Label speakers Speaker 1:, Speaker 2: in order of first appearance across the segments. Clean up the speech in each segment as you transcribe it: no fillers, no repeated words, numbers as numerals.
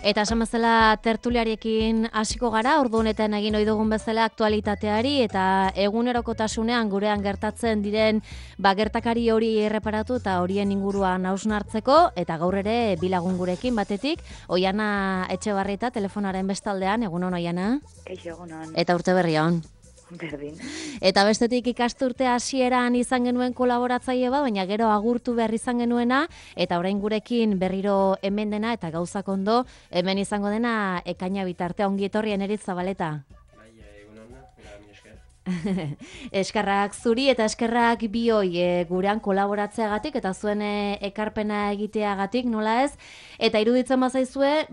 Speaker 1: Eta esan bezala tertuliariekin hasiko gara, ordu honetan egin ohi dugun bezala aktualitateari eta egunerokotasunean gurean gertatzen diren gertakari hori erreparatu eta horien inguruan hausnartzeko, eta gaur ere bi lagun gurekin batetik, Oiana Etxebarrieta telefonaren bestaldean, egunon Oiana?
Speaker 2: Kaixo, egunon.
Speaker 1: Eta urte berri on.
Speaker 2: Berdin.
Speaker 1: Eta bestetik ikasturte hasieran izan genuen kolaboratzaile bat, baina gero agurtu behar izan genuena, eta orain gurekin berriro hemen dena eta gauzak ondo, hemen izango dena ekaina bitartea. Ongi etorri Eneritz Zabaleta.
Speaker 3: Bai, egunona, mi esker.
Speaker 1: Eskerrak zuri eta eskerrak bioi gurean kolaboratzeagatik eta zuen ekarpena egiteagatik, nola ez? Eta iruditzen bazaizue,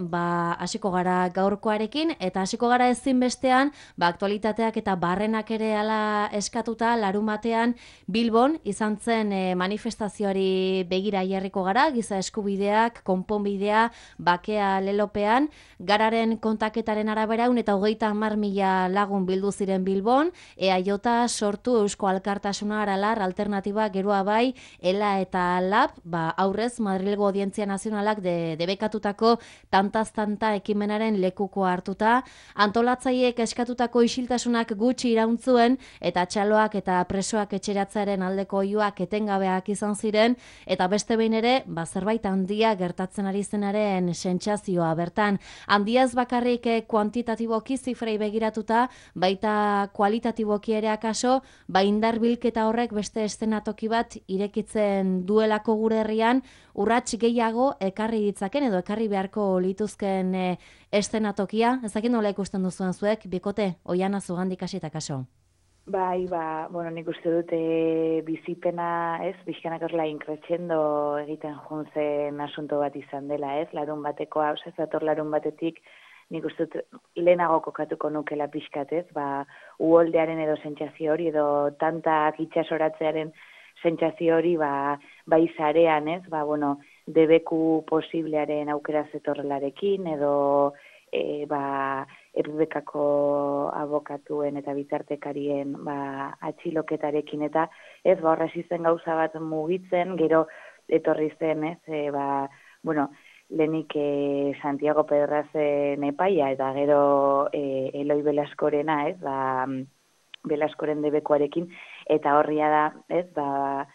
Speaker 1: hasiko gara gaurkoarekin, eta hasiko gara ezinbestean, aktualitateak eta barrenak ere ala eskatuta, larunbatean Bilbon izan zen manifestazioari begira jarriko gara, giza eskubideak, konponbidea, bakea lelopean, gararen kontaketaren arabera 130.000 lagun bildu ziren Bilbon, EAJ sortu Eusko Alkartasuna Aralar alternatiba geroa bai, ELA eta LAB, aurrez Madrilgo Audientzia Nazionalak debekatutako tantaz-tanta ekimenaren lekuko hartuta, antolatzaileek eskatutako isiltasunak gutxi irauntzuen, eta txaloak eta presoak etxeratzearen aldeko oihuak etengabeak izan ziren, eta beste behin ere, zerbait handia gertatzen ari zenaren sentsazioa bertan. Handiaz bakarrik kuantitatiboki zifrei begiratuta, baita kualitatiboki ere akaso, indar bilketa horrek beste eszenatoki bat irekitzen duelako gure herrian, urrats gehiago ekarri ditzaken edo ekarri beharko lituzken eszenatokia. Ezakin nola ikusten duzuen zuek, bikote, Oiana zugandik hasita kaso.
Speaker 2: Bai, nik uste dut bizipena, bizkanak horrela inkretxendo egiten juntzen asunto bat izan dela, larun batekoa, zator larun batetik, nik uste dut lehenago kokatuko nukela pixkatez, uholdearen edo sentsazio hori, edo tantak itxasoratzearen sentsazio hori, bai zarean, debeku posiblearen aukera zetorrelarekin, edo Errebekako abokatuen eta bitartekarien atxiloketarekin, eta horrez izen gauza bat mugitzen, gero etorri zen, lehenik Santiago Pedrazen epaia, eta gero Eloi Velaskorena, Velaskoren debekuarekin, eta horria da,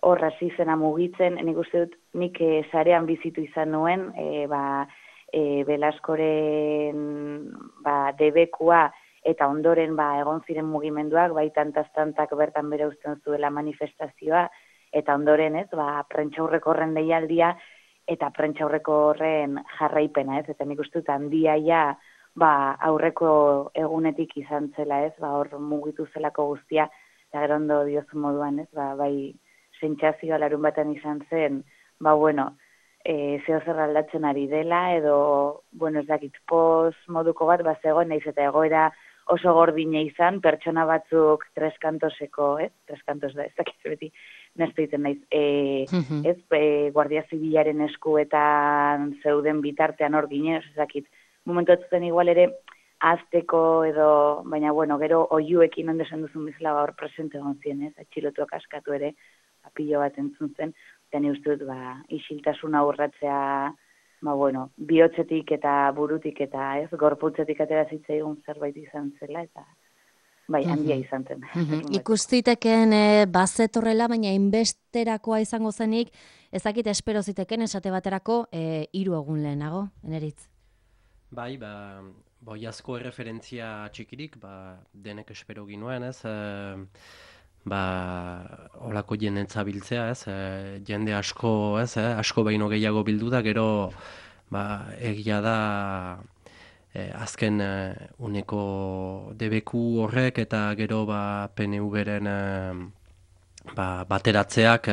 Speaker 2: horraz izena mugitzen, nik uste dut, nik zarean bizitu izan nuen, Velaskoren debekua eta ondoren egon ziren mugimenduak, tantaz-tantak bertan bere uzten zuela manifestazioa, eta ondoren prentxaurreko horren deialdia eta prentxaurreko horren jarraipena, eta nik uste dut handia aurreko egunetik izan zela, hor mugitu zelako guztia, eta gero ondo diozu moduan, bai sentsazioa larun batean izan zen, zeo zer aldatzen ari dela, edo, ez dakit, poz moduko bat, zegoen, nahiz eta egoera oso gordine izan, pertsona batzuk treskantoseko, treskantos da, ez dakit beti, nezte egiten naiz, Guardia Zibilaren eskuetan zeuden bitartean hor ginen, ez dakit, momentu atzuten igual ere, azteko edo, baina, gero oiuekin ondesan duzun bizela hor presente egon ziren, atxilotuak askatu ere, pilo bat entzun zen, eta ni uste dut, isiltasuna urratzea, bihotzetik eta burutik eta gorputzetik atera zitzaigun zerbait izan zela, eta handia izan zen.
Speaker 1: Ikustiteken bazetorrela, baina inbesterakoa izango zenik, ezakit espero ziteken esate baterako 3 egun lehenago, Eneritz?
Speaker 3: Bai, boiazko erreferentzia txikirik, denek espero ginuen, holako jendentza biltzea, jende asko, asko baino gehiago bildu da, gero egia da azken uneko debeku horrek eta gero PNV-ren bateratzeak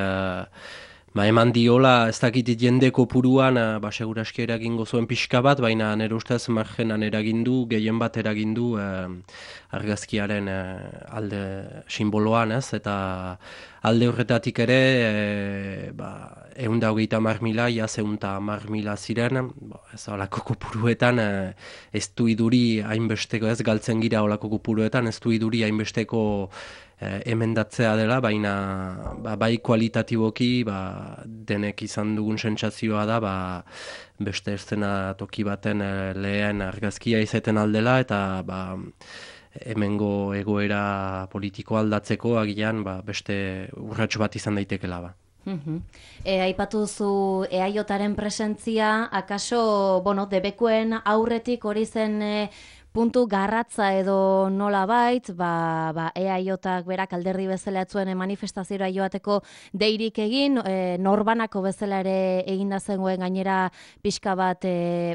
Speaker 3: eman diola, ez dakit jende kopuruan, seguraski eragingo zuen pixka bat, baina nire ustez margenan eragindu, gehien bat eragindu argazkiaren alde simboloan, eta alde horretatik ere, 130.000, iaz 110.000 ziren, ez olako kopuruetan, ez du iduri hainbesteko, ez galtzen gira olako kopuruetan, ez du iduri hainbesteko emendatzea dela, baina bai kualitatiboki denek izan dugun sentsazioa da beste eszena toki baten lehen argazkia izaten aldela, eta hemengo egoera politiko aldatzeko agian beste urrats bat izan daitekela
Speaker 1: Aipatu duzu EAJaren presentzia, akaso, debekuen aurretik hori zen puntu garratza edo nolabait, EAJak berak alderdi bezala etzuen manifestazioa joateko deirik egin, norbanako bezala ere eginda zengoen gainera pixka bat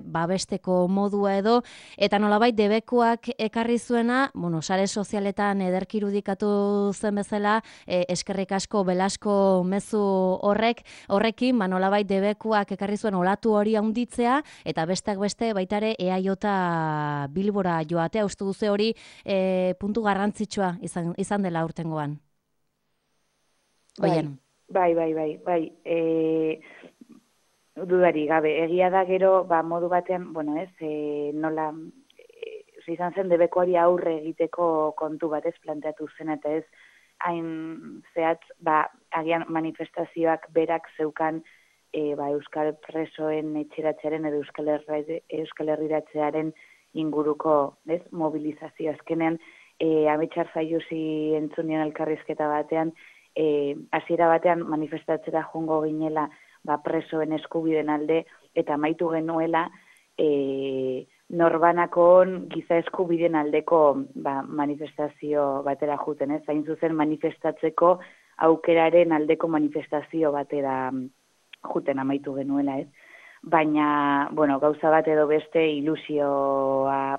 Speaker 1: babesteko modua edo, eta nolabait debekuak ekarri zuena, sare sozialetan ederki irudikatu zen bezala, eskerrik asko Belasko mezu horrekin, nolabait debekuak ekarri zuen olatu hori handitzea, eta besteak beste baitare EAJ Bilbora joatea, uste duze hori puntu garrantzitsua izan dela aurtengoan.
Speaker 2: Bai. Dudari gabe, egia da gero, modu batean, nola, izan zen debekoari aurre egiteko kontu bat ez planteatu zen, eta ez hain zehatz, agian manifestazioak berak zeukan Euskal Presoen etxeratzearen edo Euskal Herriratzearen inguruko mobilizazio azkenean, Ametxar Zaiusi entzunien elkarrizketa batean, hasiera batean manifestatzera joango ginela presoen eskubideen alde, eta amaitu genuela norbanakon giza eskubideen aldeko manifestazio batera juten, ez? Hain zuzen manifestatzeko aukeraren aldeko manifestazio batera juten amaitu genuela, ez? Baina, gauza bat edo beste ilusioa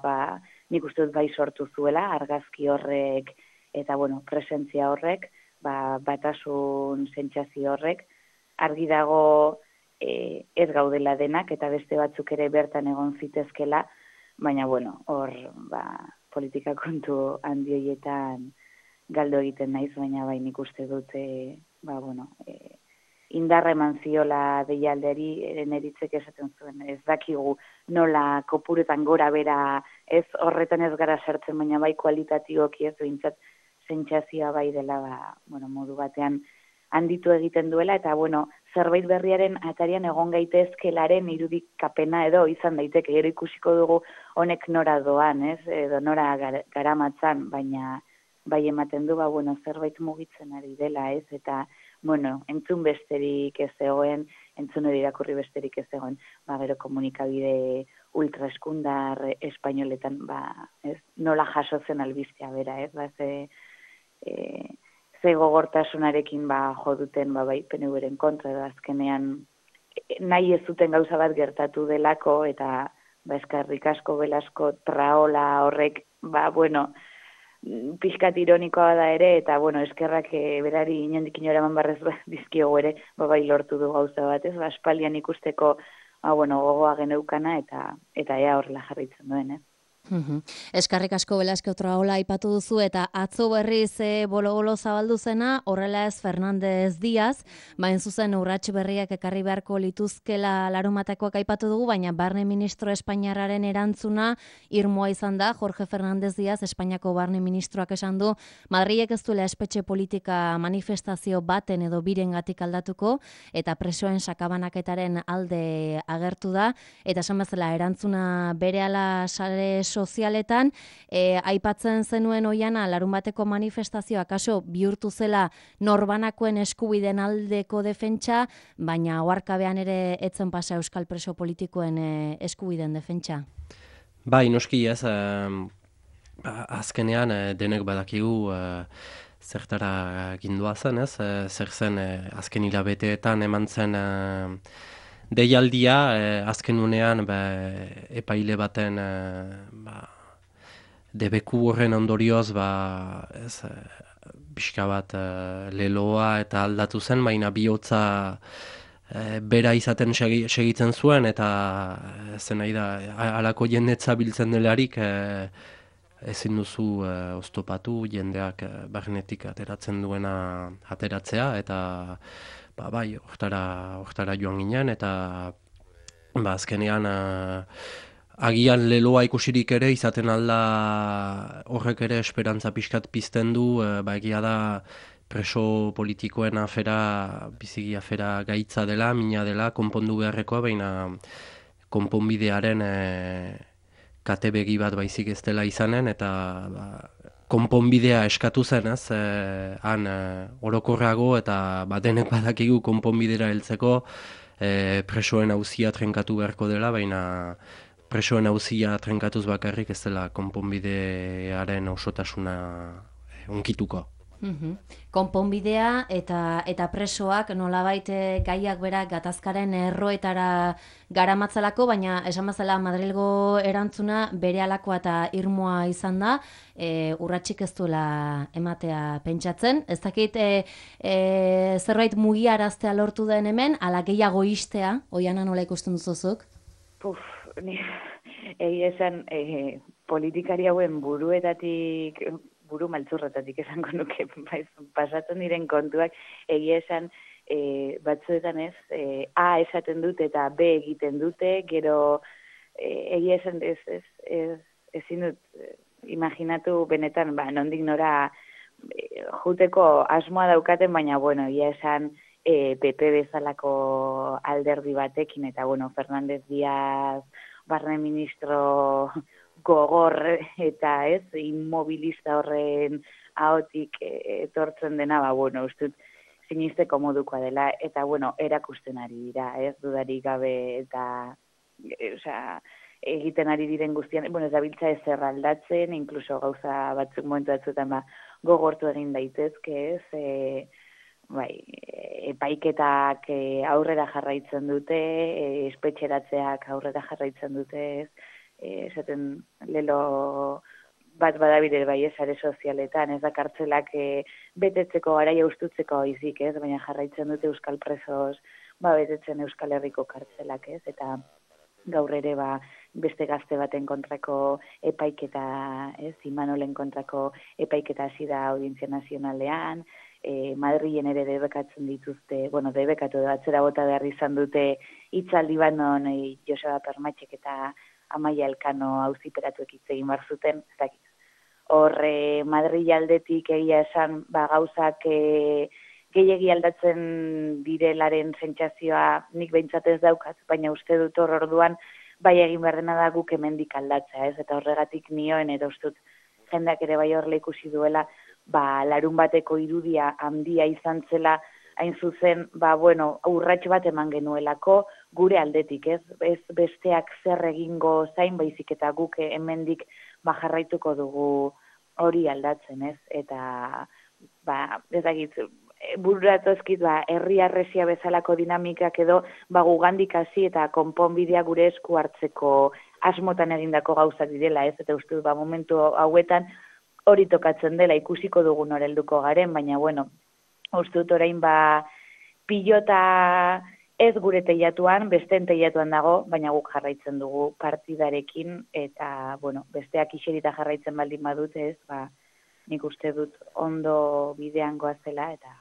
Speaker 2: nik uste dut bai sortu zuela, argazki horrek eta, presentzia horrek, batasun sentsazio horrek, argi dago ez gaudela denak eta beste batzuk ere bertan egon zitezkela, baina, hor, politika kontu handi horietan galdu egiten naiz, baina bai nik uste dut, indarra eman ziola deialderi neritzek esaten zuen. Ez dakigu nola kopuretan gora bera, ez horretan ez gara sartzen, baina bai kualitatioki ez behintzat sentsazioa bai dela, modu batean handitu egiten duela, eta, zerbait berriaren atarian egon gaitezkelaren irudikapena edo izan daiteke, gero ikusiko dugu honek nora doan, ez, edo nora garamatzan, baina bai ematen du, zerbait mugitzen ari dela, ez, eta entzun besterik ez zegoen, entzun hori irakurri besterik ez zegoen, gero komunikabide ultraeskundar espainoletan, ez, nola jaso zen albistea bera, ez, ze gogortasunarekin jo duten, bai, PNV-ren kontra, edo azkenean nahi ez zuten gauza bat gertatu delako, eta, eskerrik asko Belasko traola horrek, pixkat ironikoa da ere, eta, eskerrak berari inondik inora eman barrez dizkiogu ere, bai lortu du gauza bat, ez, aspaldian ikusteko, gogoa geneukana, eta ea horrela jarritzen duen,
Speaker 1: Eskarrik asko Belasko traola aipatu duzu, eta atzo berriz bolo-bolo zabaldu zena, horrela ez Fernández Díaz, bain zuzen urrats berriak ekarri beharko lituzkela larunbatekoak aipatu dugu, baina barne ministro Espainiarraren erantzuna irmoa izan da. Jorge Fernández Díaz, Espainiako barne ministroak esan du, Madrilek ez duela espetxe politika manifestazio baten edo birengatik aldatuko, eta presoen sakabanaketaren alde agertu da, eta esan bezala erantzuna berehala sare sozialetan, aipatzen zenuen oiana larunbateko manifestazioa kaso bihurtu zela norbanakoen eskubideen aldeko defentsa, baina oharkabean ere etzen pasa euskal preso politikoen eskubideen defentsa.
Speaker 3: Bai, noski ez, azkenean denek badakigu zertara gindua zen, ez? Zer zen azken hilabeteetan eman zen deialdia, azken unean epaile baten debeku horren ondorioz pixka bat leloa eta aldatu zen, baina bihotza bera izaten segitzen zuen, eta zen nahi da, halako jendetza biltzen delarik ezin duzu oztopatu jendeak barnetik ateratzen duena ateratzea, eta bai, hortara joan ginen, eta azkenean agian leloa ikusirik ere izaten alda horrek ere esperantza pixkat pizten du, egia da preso politikoen afera, biziki afera gaitza dela, mina dela, konpondu beharrekoa, baina konponbidearen kate begi bat baizik ez dela izanen, eta konponbidea eskatu zen, ez, han orokorrago, eta denek badakigu konponbidera heltzeko presoen auzia trenkatu beharko dela, baina presoen auzia trenkatuz bakarrik ez dela konponbidearen osotasuna unkituko.
Speaker 1: Konponbidea eta presoak nolabait gaiak berak gatazkaren erroetara garamatzalako, baina esan bezala Madrilgo erantzuna berehalakoa eta irmoa izan da, urratsik ez duela ematea pentsatzen. Ez dakit zerbait mugiaraztea lortu den hemen, ala gehiago istea, Oiana nola ikusten duzuzuk?
Speaker 2: Egia esan, politikari hauen buru maltzurretatik esango nuke, pasatzen diren kontuak, egia esan, batzuetan ez, A esaten dute eta B egiten dute, gero egia esan ezin dut imaginatu benetan, nondik nora juteko asmoa daukaten, baina, bueno, egia esan PP bezalako alderdi batekin, eta, bueno, Fernández Díaz, barne ministro gogor eta ez, inmobilista horren ahotik etortzen dena, bueno, ustut sinisteko modukoa dela, eta, bueno, erakusten ari dira, ez, dudarik gabe, eta, egiten ari diren guztian, bueno, ez dabiltza ezer aldatzen, inkluso gauza batzuk momentu batzuetan gogortu egin daitezke, ez, epaiketak aurrera jarraitzen dute, espetxeratzeak aurrera jarraitzen dute, ez, esaten lelo bat badabide bai sare sozialetan, ez da kartzelak betetzeko garaia ustutzeko izik, ez, baina jarraitzen dute euskal presos, betetzen Euskal Herriko kartzelak, ez, eta gaur ere beste gazte baten kontrako epaiketa, ez, Imanolen kontrako epaiketa hasi da Audientzia Nazionalean, Madrilen ere debekatzen dituzte, debekatu da atzera bota behar izan dute hitzaldi bat non Joseba Permatxek eta Amaia Elkano auziperatuek hitz egin behar zuten, ez dakit. Hor, Madrid aldetik egia esan, gauzak gehiegi aldatzen direlaren sentsazioa nik behintzat ez daukat, baina uste dut hor orduan, bai egin behar dena da guk hemendik aldatzea, ez? Eta horregatik nioen, eta ustut jendeak ere bai horrela ikusi duela, larun bateko irudia handia izan zela, hain zuzen, urrats bat eman genuelako, gure aldetik, ez besteak zer egingo zain, baizik eta guk hemendik jarraituko dugu hori aldatzen, ez? Eta, ez dakit, bururatozkit, herri arresia bezalako dinamikak edo, gugandik hasi eta konponbidea gure esku hartzeko asmotan egindako gauzak direla, ez? Eta uste, momentu hauetan hori tokatzen dela, ikusiko dugun horelduko garen, baina, bueno, uste dut orain pilota ez gure teilatuan, besteen teilatuan dago, baina guk jarraitzen dugu partidarekin, eta, bueno, besteak iserita jarraitzen baldin badute, ez, nik uste dut ondo bidean goazela, eta,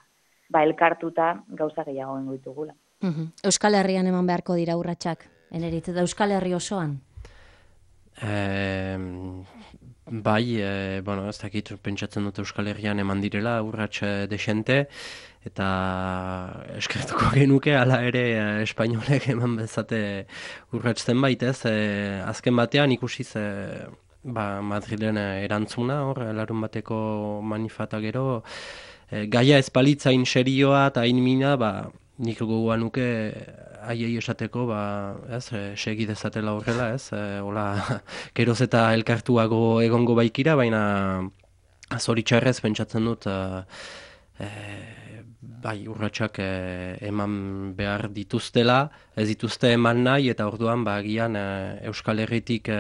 Speaker 2: elkartuta gauza gehiago bengo ditugula.
Speaker 1: Euskal Herrian eman beharko dira urratsak, Eneritz, eta Euskal Herri osoan?
Speaker 3: Ez dakit pentsatzen dut Euskal Herrian eman direla urrats desente, eta eskertuko genuke, hala ere espainolek eman bezate urrats zenbait, ez? Azken batean ikusiz Madrilen erantzuna, hor, larun bateko manifata gero, gaia ez balitzain serioa eta hain mina, nik gogoan nuke haiei esateko, segi dezatela horrela, ez? Geroz eta elkartuago egongo baikira, baina zoritxarrez pentsatzen dut urratsak eman behar dituztela, ez dituzte eman nahi, eta orduan agian Euskal Herritik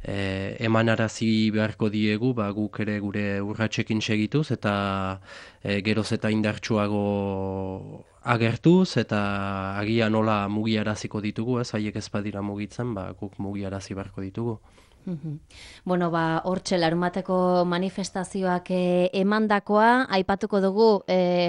Speaker 3: emanarazi beharko diegu, guk ere gure urratsekin segituz, eta geroz eta indartsuago agertuz eta agian nola mugiaraziko ditugu, ez haiek ez badira mugitzen, guk mugiarazi beharko ditugu.
Speaker 1: Bueno, hortxe larunbateko manifestazioak emandakoa, aipatuko dugu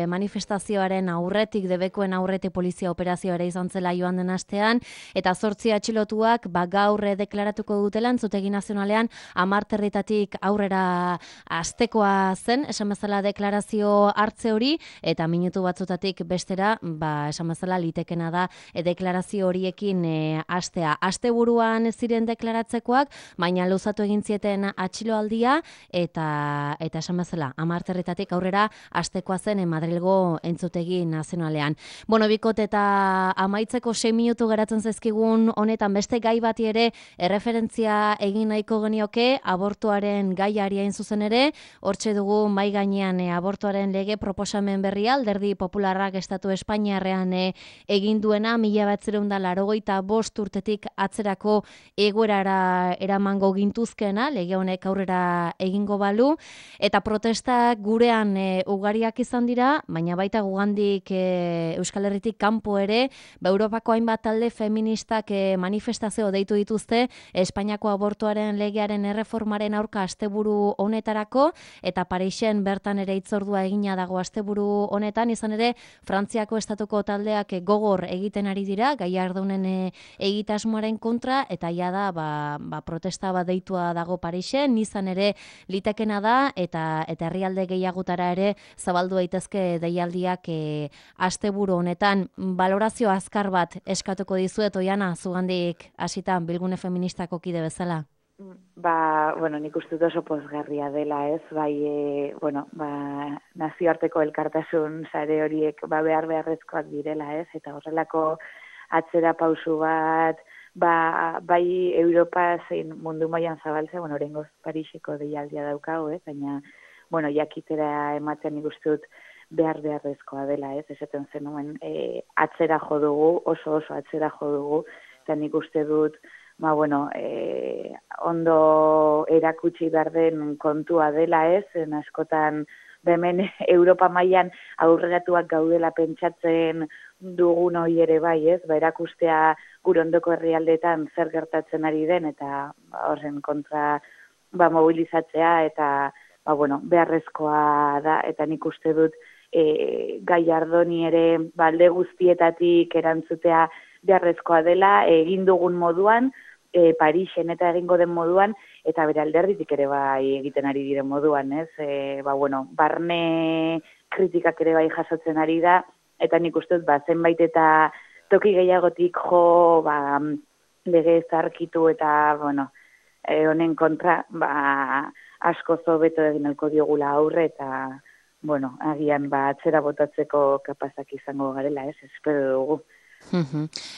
Speaker 1: manifestazioaren aurretik, debekoen aurretik polizia operazioa ere izan zela joan den astean, eta 8 atxilotuak gaur deklaratuko dutela entzutegi nazionalean 10 herritatik aurrera astekoa zen, esan bezala deklarazio hartze hori, eta minutu batzutatik bestera, esan bezala litekena da deklarazio horiekin hastea. Asteburuan ziren deklaratzekoak, baina luzatu egin zieten atxiloaldia eta esan bezala 10 herritatik aurrera astekoa zen Madrilgo entzutegi nazionalean. Bueno, bikot eta amaitzeko 6 minutu geratzen zaizkigun honetan beste gai bati ere erreferentzia egin nahiko genioke, abortuaren gaiari hain zuzen ere, hortxe dugu mai gainean abortuaren lege proposamen berria, Alderdi Popularrak Estatu Espainiarrean egin duena 1985 urtetik atzerako egoerara eramango gintuzkena, lege honek aurrera egingo balu, eta protestak gurean ugariak izan dira, baina baita gugandik Euskal Herritik kanpo ere, Europako hainbat talde feministak manifestazio deitu dituzte Espainiako abortuaren legearen erreformaren aurka asteburu honetarako, eta Parisen bertan ere hitzordua egina dago asteburu honetan, izan ere Frantziako estatuko taldeak gogor egiten ari dira, Gallardónen egitasmoaren kontra, eta ja da protesta bat deitua dago Parisen, izan ere litekena da, eta herrialde gehiagotara ere zabaldu daitezke deialdiak asteburu honetan. Balorazio azkar bat eskatuko dizuet, Oiana, zugandik hasita bilgune feministako kide bezala.
Speaker 2: Nik uste dut oso pozgarria dela, ez? Nazioarteko elkartasun sare horiek behar beharrezkoak direla, ez? Eta horrelako atzera pausu bat, bai Europa zein mundu mailan zabaltzea, oraingoz Pariseko deialdia daukago, ez? Baina, jakitera ematen nik uste dut beharrezkoa dela, ez? Esaten zenuen atzera jo dugu, oso atzera jo dugu, eta nik uste dut ondo erakutsi behar den kontua dela, ez? Askotan hemen Europa mailan aurreratuak gaudela pentsatzen dugun hori ere bai, ez? Erakustea gure ondoko herrialdeetan zer gertatzen ari den, eta horren kontra mobilizatzea, eta beharrezkoa da, eta nik uste dut Gallardóni ere alde guztietatik erantzutea beharrezkoa dela, egin dugun moduan, Parisen eta egingo den moduan, eta bere alderditik ere bai egiten ari diren moduan, ez? Barne kritikak ere bai jasotzen ari da, eta nik uste dut, zenbait eta toki gehiagotik jo, lege zarkitu eta, honen kontra, asko hobeto egin alko diogula aurre, eta, agian atzera botatzeko kapazak izango garela, ez? Espero dugu.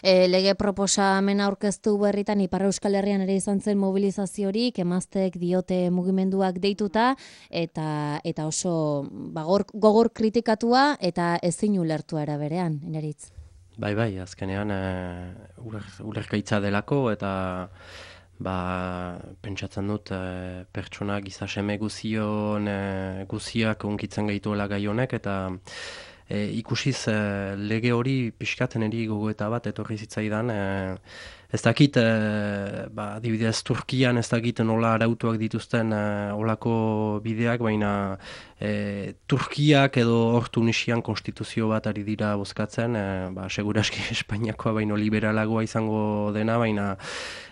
Speaker 1: Lege proposamena aurkeztu berritan Ipar Euskal Herrian ere izan zen mobilizaziorik, emazteek diote mugimenduak deituta, eta oso gogor kritikatua eta ezin ulertua era berean, Eneritz.
Speaker 3: Bai, azkenean ulergaitza delako, eta pentsatzen dut pertsona gizaseme guziak unkitzen gaituela gai honek, eta ikusiz lege hori pixkaten eri gogoeta bat etorri zitzaidan. Ez dakit, adibidez Turkian ez dakit nola arautuak dituzten olako bideak, baina Turkiak edo hor Tunisian konstituzio bat ari dira bozkatzen, seguraski Espainiakoa baino liberalagoa izango dena, baina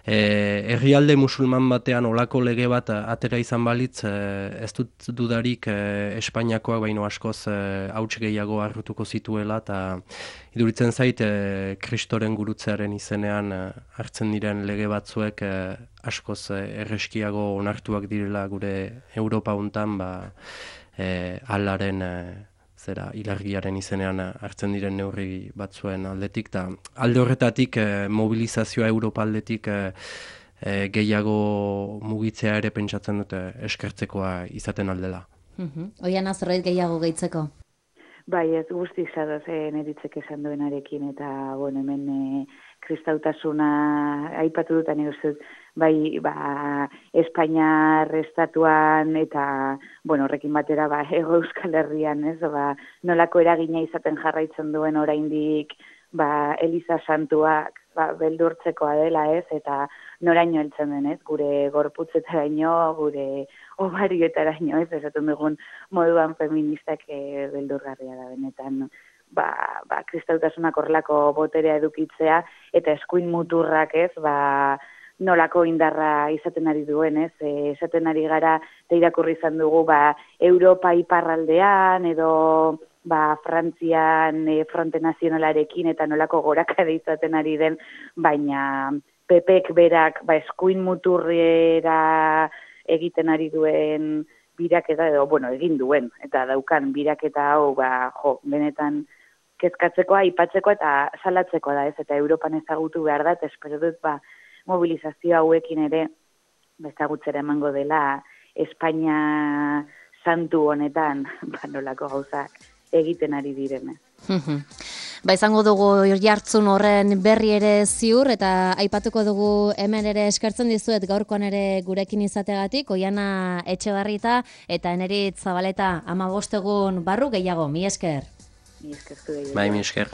Speaker 3: herrialde musulman batean olako lege bat atera izan balitz, ez dut dudarik Espainiakoak baino askoz hauts gehiago hartuko zituela, eta iduritzen zait Kristoren gurutzearen izenean hartzen diren lege batzuek askoz erreskiago onartuak direla gure Europa hontan, alaren ilargiaren izenean hartzen diren neurri batzuen aldetik, eta alde horretatik mobilizazioa Europa aldetik gehiago mugitzea ere pentsatzen dute eskertzekoa izaten aldela.
Speaker 1: Oiana, zerbait gehiago gehitzeko?
Speaker 2: Bai, ez guzti zadoz Neritzek esan duenarekin, eta hemen kristautasuna aipatu dut, nik uste dut, bai, Espainiar estatuan eta, horrekin batera, Hego Euskal Herrian, ez, nolako eragina izaten jarraitzen duen oraindik, Eliza Santuak, beldurtzekoa dela, ez, eta noraino heltzen den, ez, gure gorputzetaraino, gure obarioetaraino, ez, esaten dugun moduan feministak beldurgarria da benetan, kristautasunak horrelako boterea edukitzea, eta eskuin muturrak, ez, nolako indarra izaten ari duen, ez? Esaten ari gara, eta irakurri izan dugu, Europa iparraldean, edo Frantzian fronte nazionalarekin, eta nolako gorakade izaten ari den, baina PPek berak eskuin muturriera egiten ari duen biraketa, edo, egin duen, eta daukan biraketa hau, benetan kezkatzeko, aipatzeko eta salatzeko da, ez? Eta Europan ezagutu behar da, eta espero dut, mobilizazio hauekin ere ezagutzera emango dela Espainia santu honetan nolako gauzak egiten ari direne.
Speaker 1: Izango dugu jartzun horren berri ere ziur eta aipatuko dugu hemen ere eskertzen dizuet gaurkoan ere gurekin izategatik, Oiana Etxebarrieta eta Eneritz Zabaleta 15 egun barru gehiago, mi esker.
Speaker 2: Mi esker zu gehiago.
Speaker 3: Bai, mi esker.